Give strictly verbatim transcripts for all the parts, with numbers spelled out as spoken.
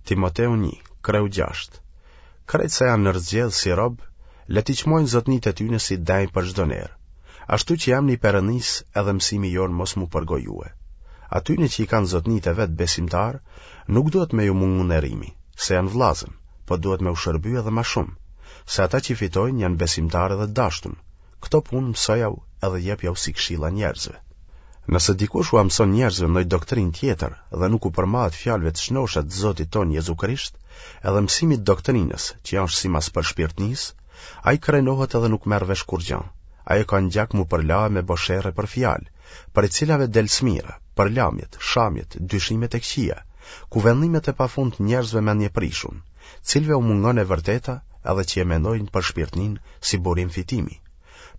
Timoteu një, kreu gjashtë. Krejt sa janë nërzgjedhë si rob, le t'i çmojnë zotnitë e tyne si denjë për çdo ner. Ashtu që emni i Perënisë edhe mësimi jonë mos m'u përgojue. Atyne që i kanë zotnitë e vet besimtarë, nuk duhet me ju mungu nderimi, se janë vllazën, po duhet me u shërby edhe ma shumë, se ata që fitojnë janë besimtarë edhe të dashtun. Këto punë mësojau edhe jepjau si këshilla njerëzve. Nëse dikush ua mëson njerëzve ndonjë doktrinë tjetër dhe nuk u përmbahet fjalëve të shnosha të Zotit tonë Jezu Krisht, edhe mësimit të doktrinës, që është simas përshpirtnisë, ai krenohet edhe nuk merr vesh kurrgjë. Ai e ka në gjak m'u përla e me bo sherre për fjalë, prej cilave del smira, përlamjet, shamjet, dyshimet e këqija, kuvendimet e pafund të njerëzve mendjeprishun, cilëve u mungon e vërteta edhe që e mendojnë përshpirtninë si burim fitimi.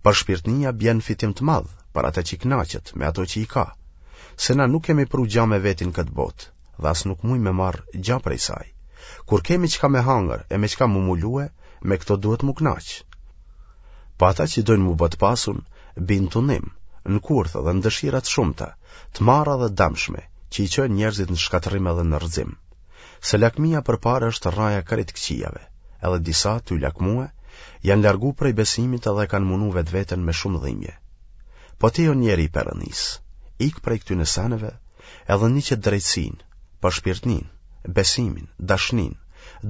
Përshpirtnia bjen fitim të madh për atë që kënaqet me ato që i ka. Se na nuk kemi pru gja me veti në këtë botë dhe as nuk mujmë me marr gja prej saj. Kur kemi çka me hangër e me çka m'u mulue, me këto duhet m'u kënaq. Po ata që dojnë m'u bë të pasun, bin tundim, në kurth dhe në dëshira të shumta, të marra dhe dëmshme, që i çojnë njerëzit në shkatërrim edhe në rrëzim. Se lakmia për pare është rraja krejt këqijave, edhe disa tu lakmue, janë largu prej besimit edhe kanë munu vetveten me shumë dhimbje. Po ti o njeri i Perëndisë, ik prej këtyne seneve, edhe ndiqe drejtësinë, përshpirtninë, besimin, dashninë,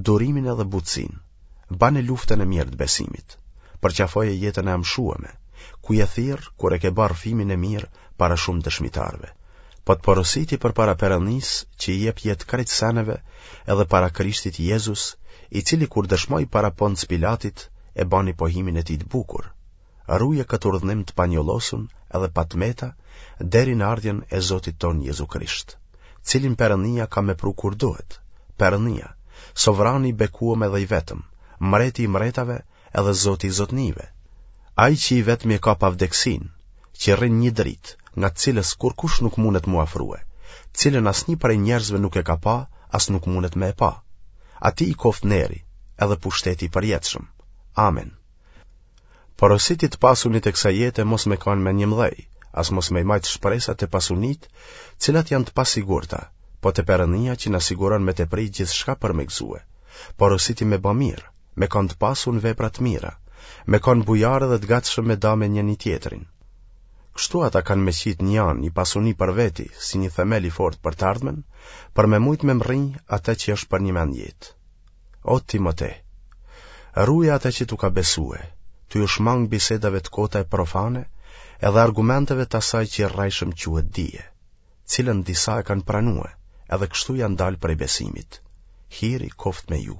durimin edhe butësinë. Bane luftën e mirë të besimit, përqafoje jetën e amshueme, ku je thirr kur e ke bërë rrëfimin e mirë para shumë dëshmitarëve. Po të porositi përpara Perëndisë që i jep jetë krejt seneve edhe para Krishtit Jezus, i cili kur dëshmoi para Ponc Pilatit e bani pohimin e tij të bukur. Ruje këtë urdhnim të panjollosun edhe pa të meta deri në ardhjen e Zotit tonë Jezu Krisht, cilin Perëndia ka me pru kur duhet. Perëndia, sovrani i bekuam edhe i vetëm, mreti i mretave edhe Zoti i zotnive. Ai që i vetmi e ka pavdekësinë, që rrin një dritë, nga të cilës kurkush nuk mundet m'u afrue, cilën asnjë prej njerëzve nuk e ka pa, as nuk mundet me e pa. Atij i koftë neri, edhe pushteti i përjetshëm. Amen. Porositi të pasunit e kësaj jete mos me kanë mendjemëdhej, as mos me i majtë shpresat te pasunitë, cilat janë të pasigurta, po te Perëndia që na siguron me tepri gjithçka për me gëzue. Porositi me ba mirë, me kanë të pasun vepra të mira, me kanë bujarë dhe të gatshëm me da me njëni tjetrin. Kështu ata kanë me qitë një anë një pasuni për veti, si një themel i fort për të ardhmen, për me mujtë me mrri atë që është përnjëmend jetë. O Timote, ruje atë që t'u ka besue, tu iu shmang bisedave të kota e profane, edhe argumenteve të asaj që rrejshëm quhet dije, cilën disa e kanë pranue, edhe kështu janë dalë prej besimit. Hiri koftë me ju.